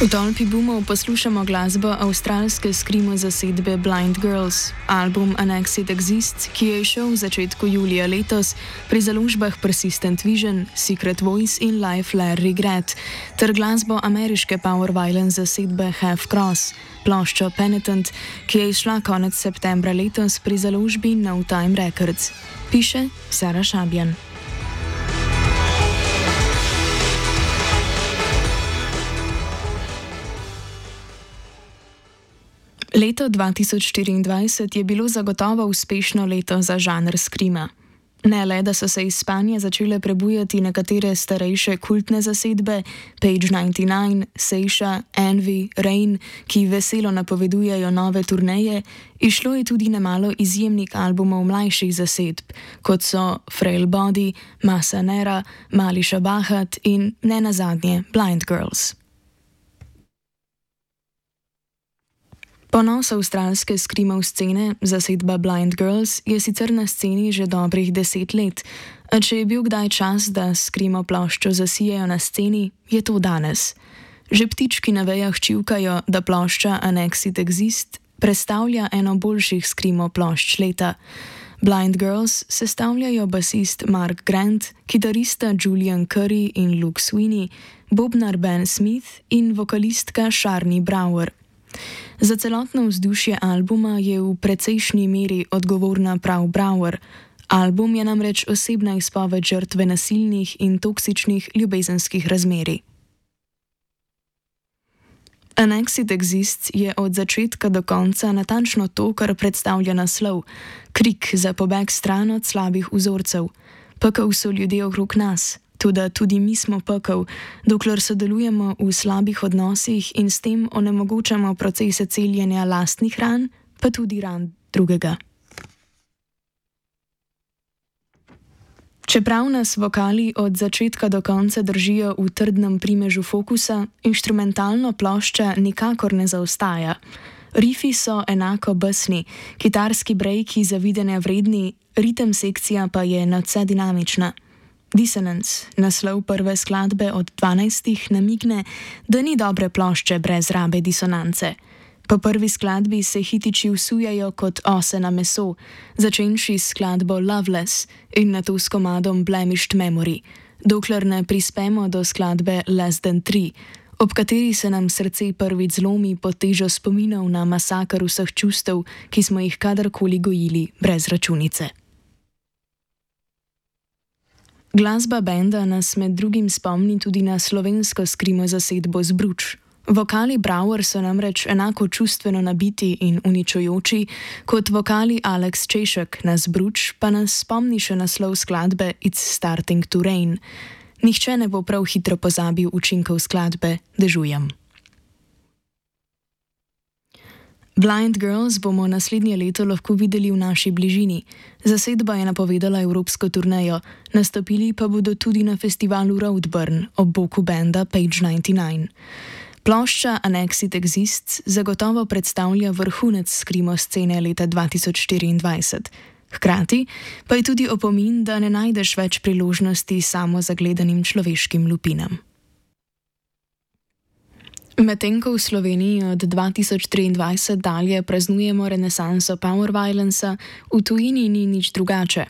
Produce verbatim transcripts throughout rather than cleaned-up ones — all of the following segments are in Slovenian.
V tolpi boomov poslušamo glasbo avstralske skrimo zasedbe Blind Girls. Album Annexed Exists, ki je izšel v začetku julija letos pri založbah Persistent Vision, Secret Voice in Life Lair Regret, ter glasbo ameriške power violence zasedbe Half Cross, ploščo Penitent, ki je izšla konec septembra letos pri založbi No Time Records. Piše Sara Šabjan. Leto dva tisoč štiriindvajset je bilo zagotovo uspešno leto za žanr skrima. Ne le, da so se iz spanja začele prebujati nekatere starejše kultne zasedbe, Page devetdeset devet, Seisha, Envy, Rain, ki veselo napovedujejo nove turneje, izšlo je tudi nemalo izjemnih albumov mlajših zasedb, kot so Frail Body, Masa Nera, Malisha Bahat in ne nazadnje Blind Girls. Ponos avstralske skrimov scene, zasedba Blind Girls, je sicer na sceni že dobrih deset let, a če je bil kdaj čas, da skrimo ploščo zasijajo na sceni, je to danes. Že ptički na vejah čivkajo, da plošča Annexed Exists predstavlja eno boljših skrimo plošč leta. Blind Girls sestavljajo basist Mark Grant, kitarista Julian Curry in Luke Sweeney, bobnar Ben Smith in vokalistka Sharni Brower. Za celotno vzdušje albuma je v precejšnji meri odgovorna prav Brower. Album je namreč osebna izpoved žrtve nasilnih in toksičnih ljubezenskih razmerij. Annexed Exists je od začetka do konca natančno to, kar predstavlja naslov: krik za pobeg stran od slabih vzorcev. Pekel so ljudje okrog nas. Tudi, tudi mi smo pekel, dokler sodelujemo v slabih odnosih in s tem onemogočamo procese celjenja lastnih ran, pa tudi ran drugega. Čeprav nas vokali od začetka do konca držijo v trdnem primežu fokusa, inštrumentalno plošča nikakor ne zaostaja. Rifi so enako besni, kitarski brejki zavidanja vredni, ritem sekcija pa je nadvse dinamična. Dissonance, naslov prve skladbe od dvanajstih, namigne, da ni dobre plošče brez rabe disonance. Po prvi skladbi se hitiči vsujajo kot ose na meso, začenši s skladbo Loveless in nato s komadom Blemished Memory, dokler ne prispemo do skladbe Less Than Three, ob kateri se nam srce prvič zlomi pod težo spominov na masakr vseh čustev, ki smo jih kadarkoli gojili brez računice. Glasba benda nas med drugim spomni tudi na slovensko skrimo zasedbo Zbruč. Vokali Brower so namreč enako čustveno nabiti in uničujoči kot vokali Alex Češek na Zbruč, pa nas spomni še naslov skladbe It's Starting to Rain. Nihče ne bo prav hitro pozabil učinkov skladbe Dežujem. Blind Girls bomo naslednje leto lahko videli v naši bližini. Zasedba je napovedala evropsko turnejo, nastopili pa bodo tudi na festivalu Roadburn ob boku benda Page devetdeset devet. Plošča Annexed Exists zagotovo predstavlja vrhunec skrimo scene leta dva tisoč štiriindvajset. Hkrati pa je tudi opomin, da ne najdeš več priložnosti samo zagledanim človeškim lupinam. Medtem ko v Sloveniji od dva tisoč triindvajset dalje praznujemo renesanso power violencea, v tujini ni nič drugače.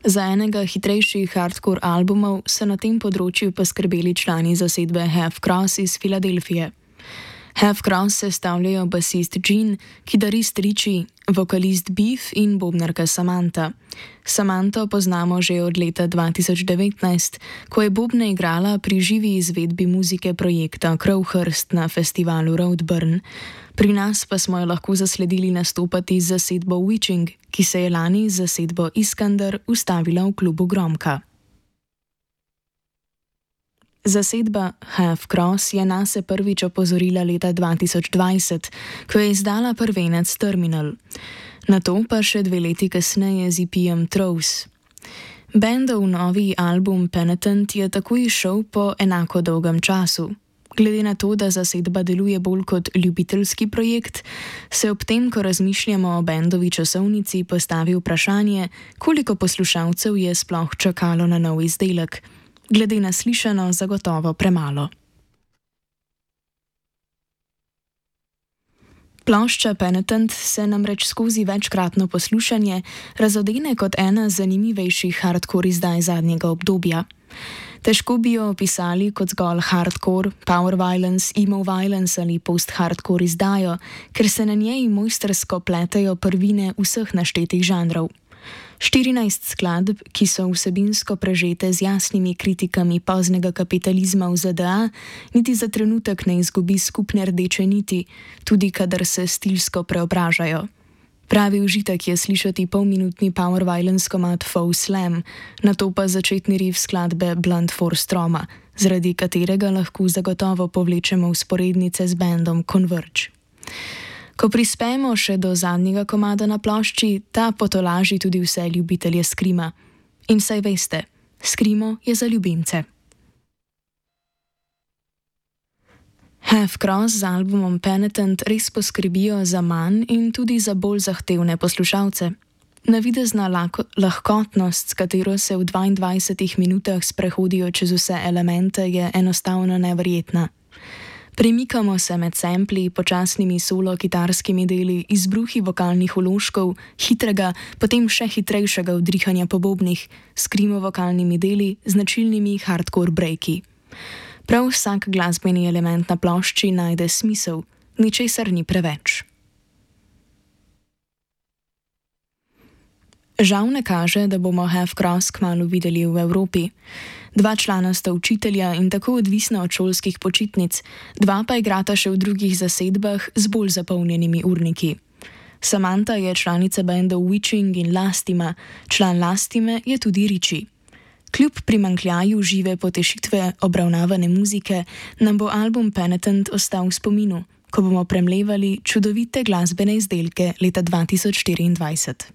Za enega hitrejših hardcore albumov so na tem področju poskrbeli člani zasedbe Half Cross iz Filadelfije. Half Cross sestavljajo basist Gene, kitarist Richie, vokalist Beef in bobnarka Samantha. Samantho poznamo že od leta dva tisoč devetnajst, ko je bobne igrala pri živi izvedbi muzike projekta Crowhurst na festivalu Roadburn. Pri nas pa smo jo lahko zasledili nastopati z zasedbo Witching, ki se je lani z zasedbo Iskander ustavila v klubu Gromka. Zasedba Half Cross je nase prvič opozorila leta dva tisoč dvajset, ko je izdala prvenec Terminal. Nato pa še dve leti kasneje z E P-jem Throws. Bendov novi album Penitent je tako izšel po enako dolgem času. Glede na to, da zasedba deluje bolj kot ljubiteljski projekt, se ob tem, ko razmišljamo o bendovi časovnici, postavi vprašanje, koliko poslušalcev je sploh čakalo na nov izdelek. Glede na slišano, zagotovo premalo. Plošča Penitent se namreč skozi večkratno poslušanje razodene kot ena zanimivejših hardcore izdaj zadnjega obdobja. Težko bi jo opisali kot zgolj hardcore, power violence, emo violence ali post-hardcore izdajo, ker se na njej mojstrsko pletejo prvine vseh naštetih žanrov. štirinajst skladb, ki so vsebinsko prežete z jasnimi kritikami poznega kapitalizma v Z D A, niti za trenutek ne izgubi skupne rdeče niti, tudi kadar se stilsko preobražajo. Pravi užitek je slišati polminutni power violence komad Faux Slam, nato pa začetni riff skladbe Blunt Force Trauma, zaradi katerega lahko zagotovo povlečemo vzporednice z bandom Converge. Ko prispemo še do zadnjega komada na plošči, ta potolaži tudi vse ljubitelje skrima. In saj veste, skrimo je za ljubimce. Half Cross z albumom Penitent res poskrbijo za manj in tudi za bolj zahtevne poslušalce. Navidezna lahkotnost, s katero se v dvaindvajsetih minutah sprehodijo čez vse elemente, je enostavno neverjetna. Premikamo se med sampli, počasnimi solo kitarskimi deli, izbruhi vokalnih vložkov, hitrega, potem še hitrejšega vdrihanja po bobnih, skrimo vokalnimi deli, značilnimi hardcore breaki. Prav vsak glasbeni element na plošči najde smisel, ničesar ni preveč. Žal ne kaže, da bomo Half Cross kmalu videli v Evropi. Dva člana sta učitelja in tako odvisna od šolskih počitnic, dva pa igrata še v drugih zasedbah z bolj zapolnjenimi urniki. Samantha je članica bandov Witching in Lastima, član Lastime je tudi Richie. Kljub primanjkljaju žive potešitve obravnavane muzike, nam bo album Penitent ostal v spominu, ko bomo premlevali čudovite glasbene izdelke leta dva tisoč štiriindvajset.